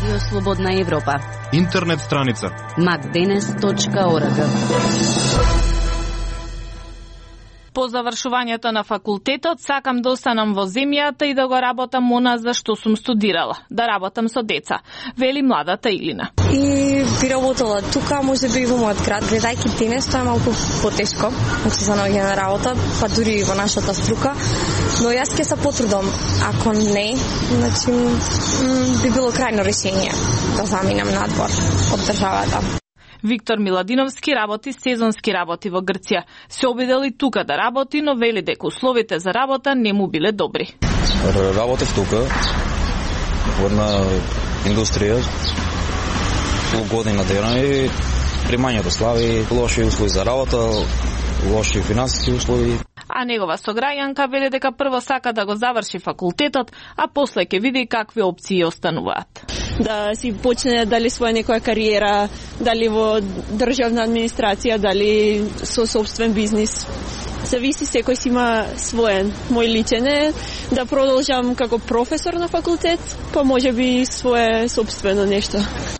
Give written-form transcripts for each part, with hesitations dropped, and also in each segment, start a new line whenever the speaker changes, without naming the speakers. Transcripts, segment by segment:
Радио Слободна Европа.
Интернет страница
macdenes.org.
По завршувањето на факултетот сакам да останам во земјата и да го работам она за што сум студирала, да работам со деца, вели младата Илина.
И би работела тука, може би и во мојот град, гледајќи денес тоа е малку потешко, значи за наоѓање на работа, па дури и во нашата струка, но јас ќе се потрудам, ако не, значи би било крајно решение да заминам надвор од државата.
Виктор Миладиновски работи сезонски работи во Грција. Се обидел и тука да работи, но вели дека условите за работа не му биле добри.
Работев тука во една индустрија година дена и примањето слаби, лоши услови за работа, лоши финансиски услови.
А негова сограѓанка вели дека прво сака да го заврши факултетот, а после ќе види какви опции остануваат.
Да си почне дали своја некоја кариера, дали во државна администрација, дали со собствен бизнис. Зависи, секој си има своен. Мој личен е да продолжам како професор на факултет, па може би свое собствено нешто.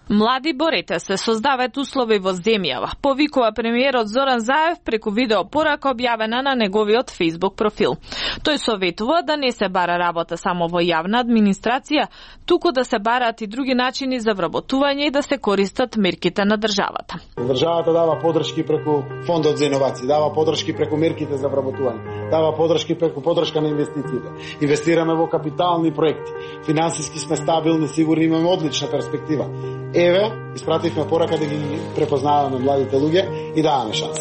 Млади, борете се, создаваат услови во земјава, повикува премиерот Зоран Заев преку видеопорака објавена на неговиот Facebook профил. Тој советува да не се бара работа само во јавна администрација, туку да се бараат и други начини за вработување и да се користат мерките на државата.
Државата дава подршки преку фондот за иновации, дава подршки преку мерките за вработување, дава подршки преку подршка на инвестициите. Инвестираме во капитални проекти, финансиски сме стабилни, сигурни, имаме одлична перспектива. Еве, испративме порака да ги препознаваме младите луѓе и даваме шанс.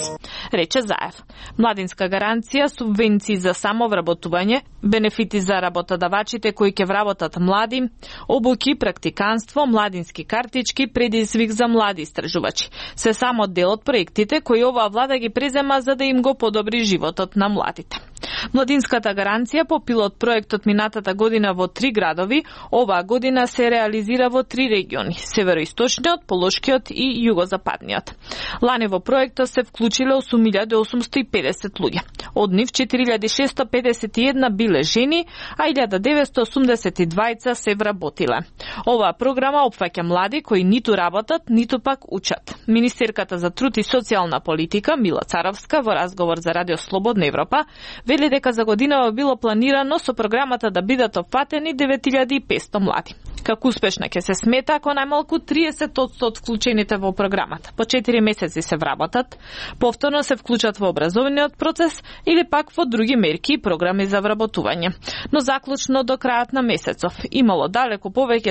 Рече Заев. Младинска гаранција, субвенции за самовработување, бенефити за работодавачите кои ќе вработат млади, обуки, практиканство, младински картички, предизвик за млади истражувачи. Се само дел од проектите кои оваа влада ги презема за да им го подобри животот на младите. Младинската гаранција по пилот проектот минатата година во 3 градови, оваа година се реализира во 3 региони: североисточниот, полошкиот и југозападниот. Лани во проектот се вклучиле 8850 луѓе. Од нив 4651 биле жени, а 1982 се вработиле. Оваа програма опфаќа млади кои ниту работат, ниту пак учат. Министерката за труд и социјална политика Мила Царовска во разговор за Радио Слободна Европа вели дека за годинава било планирано со програмата да бидат опфатени 9500 млади. Како успешна ќе се смета ако најмалку 30% од вклучените во програмата по 4 месеци се вработат, повторно се вклучат во образовниот процес или пак во други мерки и програми за вработување. Но заклучно до крајот на месецов имало далеку повеќе